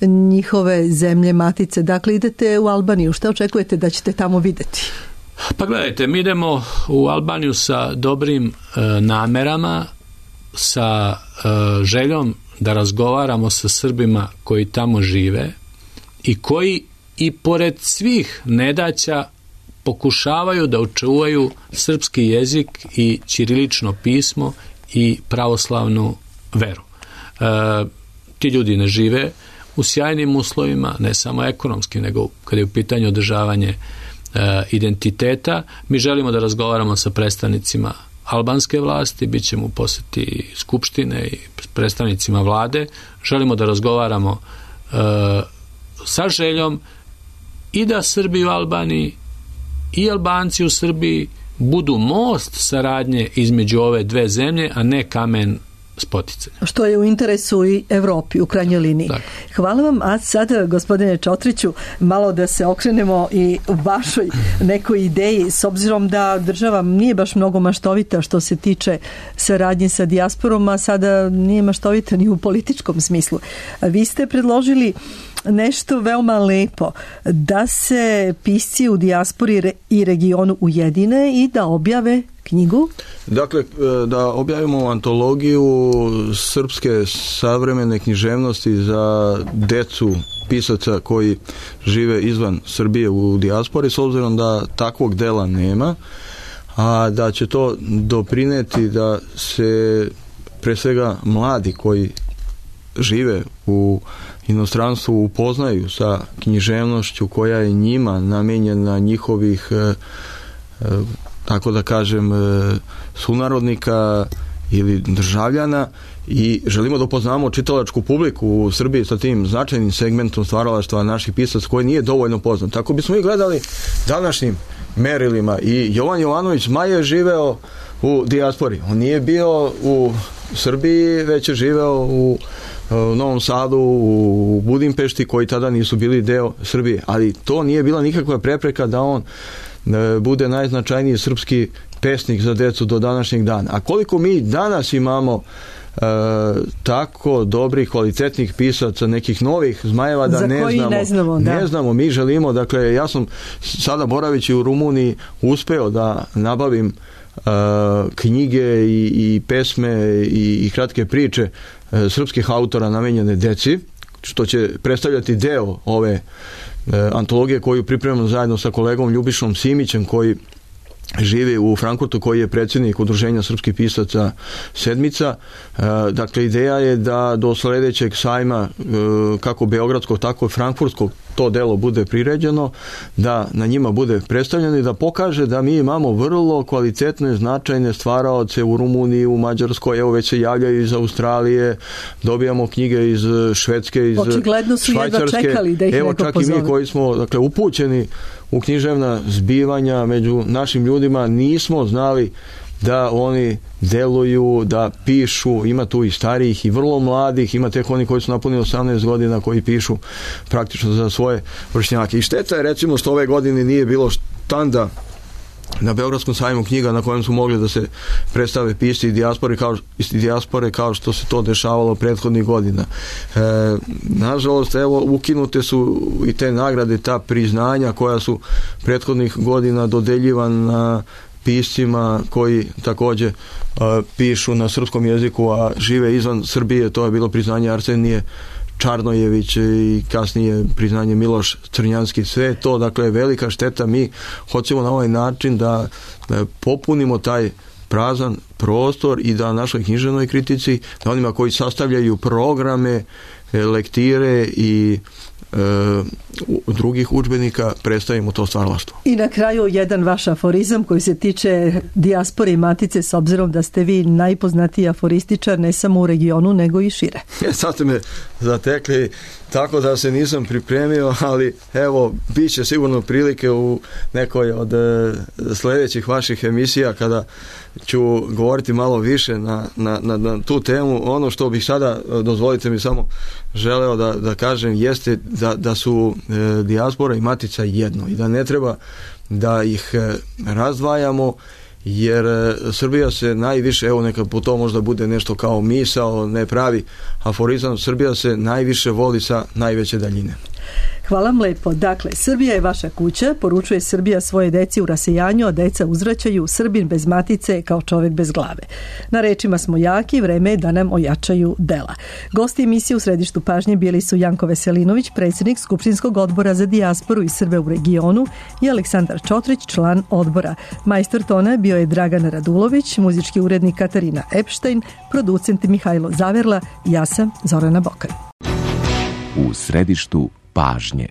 A: njihove zemlje matice. Dakle, idete u Albaniju. Šta očekujete da ćete tamo vidjeti?
B: Pa gledajte, mi idemo u Albaniju sa dobrim namerama, sa željom da razgovaramo sa Srbima koji tamo žive i koji i pored svih nedaća pokušavaju da očuvaju srpski jezik i ćirilično pismo i pravoslavnu veru. Ti ljudi ne žive u sjajnim uslovima, ne samo ekonomski, nego kada je u pitanju održavanje identiteta. Mi želimo da razgovaramo sa predstavnicima albanske vlasti, bit ćemo u posjeti skupštine i predstavnicima vlade. Želimo da razgovaramo sa željom i da Srbi u Albaniji i Albanci u Srbiji budu most saradnje između ove dve zemlje, a ne kamen spoticanja.
A: Što je u interesu i Evropi u krajnjoj liniji. Dakle. Hvala vam, a sada, gospodine Čotriću, malo da se okrenemo i vašoj nekoj ideji, s obzirom da država nije baš mnogo maštovita što se tiče saradnje sa dijasporom, a sada nije maštovita ni u političkom smislu. Vi ste predložili nešto veoma lepo, da se pisci u dijaspori i regionu ujedine i da objave knjigu?
C: Dakle, da objavimo antologiju srpske savremene književnosti za decu pisaca koji žive izvan Srbije u dijaspori, s obzirom da takvog dela nema, a da će to doprineti da se pre svega mladi koji žive u inostranstvu upoznaju sa književnošću koja je njima namenjena, njihovih tako da kažem sunarodnika ili državljana, i želimo da upoznamo čitalačku publiku u Srbiji sa tim značajnim segmentom stvaralaštva naših pisaca koji nije dovoljno poznat. Tako bismo i gledali današnjim merilima, i Jovan Jovanović Zmaj je živeo u dijaspori. On nije bio u Srbiji, već je živeo u Novom Sadu, u Budimpešti, koji tada nisu bili deo Srbije, ali to nije bila nikakva prepreka da on bude najznačajniji srpski pesnik za decu do današnjeg dana. A koliko mi danas imamo tako dobrih, kvalitetnih pisaca, nekih novih zmajeva da
A: ne
C: znamo. Mi želimo, dakle, ja sam sada boravići u Rumuniji uspeo da nabavim knjige i pesme i kratke priče srpskih autora namenjene deci, što će predstavljati deo ove antologije koju pripremamo zajedno sa kolegom Ljubišom Simićem, koji živi u Frankfurtu, koji je predsjednik Udruženja srpskih pisaca Sedmica. Dakle, ideja je da do sledećeg sajma, kako beogradskog, tako i frankfurtskog, to delo bude priređeno, da na njima bude predstavljeno i da pokaže da mi imamo vrlo kvalitetne, značajne stvaraoce u Rumuniji, u Mađarskoj, evo već se javljaju iz Australije, dobijamo knjige iz Švedske, iz
A: očigledno su
C: Švajcarske.
A: Jedva čekali da ih
C: evo
A: neko
C: čak
A: pozove.
C: I mi koji smo, dakle, upućeni u književna zbivanja među našim ljudima, nismo znali da oni deluju, da pišu. Ima tu i starijih i vrlo mladih, ima tek oni koji su napunili 18 godina koji pišu praktično za svoje vršnjake. I šteta je, recimo, što ove godine nije bilo štanda na Beogradskom sajmu knjiga na kojem su mogli da se predstave pisci iz dijaspore kao što se to dešavalo prethodnih godina. Nažalost, evo, ukinute su i te nagrade, ta priznanja koja su prethodnih godina dodeljivana piscima koji također pišu na srpskom jeziku, a žive izvan Srbije. To je bilo priznanje Arsenije Čarnojević i kasnije priznanje Miloš Crnjanski. Sve to, dakle, je velika šteta. Mi hoćemo na ovaj način da popunimo taj prazan prostor i da našoj književnoj kritici, da onima koji sastavljaju programe, lektire i drugih udžbenika predstavimo to stvaralaštvo.
A: I na kraju jedan vaš aforizam koji se tiče dijaspore i matice, s obzirom da ste vi najpoznatiji aforističar ne samo u regionu nego i šire.
C: Sad ste me zatekli tako da se nisam pripremio, ali evo, bit će sigurno prilike u nekoj od sljedećih vaših emisija kada ću govoriti malo više na tu temu. Ono što bih sada, dozvolite mi samo, želeo da kažem jeste da su dijaspora i matica jedno i da ne treba da ih razdvajamo, jer Srbija se najviše, evo, neka po to možda bude nešto kao misao, ne pravi aforizam, Srbija se najviše voli sa najveće daljine.
A: Hvala vam lepo. Dakle, Srbija je vaša kuća, poručuje Srbija svoje deci u rasejanju, a deca uzvraćaju: Srbin bez matice kao čovjek bez glave. Na rečima smo jaki, vreme je da nam ojačaju dela. Gosti emisije u središtu pažnje bili su Janko Veselinović, predsjednik Skupštinskog odbora za dijasporu i Srbe u regionu, i Aleksandar Čotrić, član odbora. Majstor tona bio je Dragan Radulović, muzički urednik Katarina Epštajn, producent Mihajlo Zaverla, ja sam Zorana Bokan.
K: U središtu pažnje.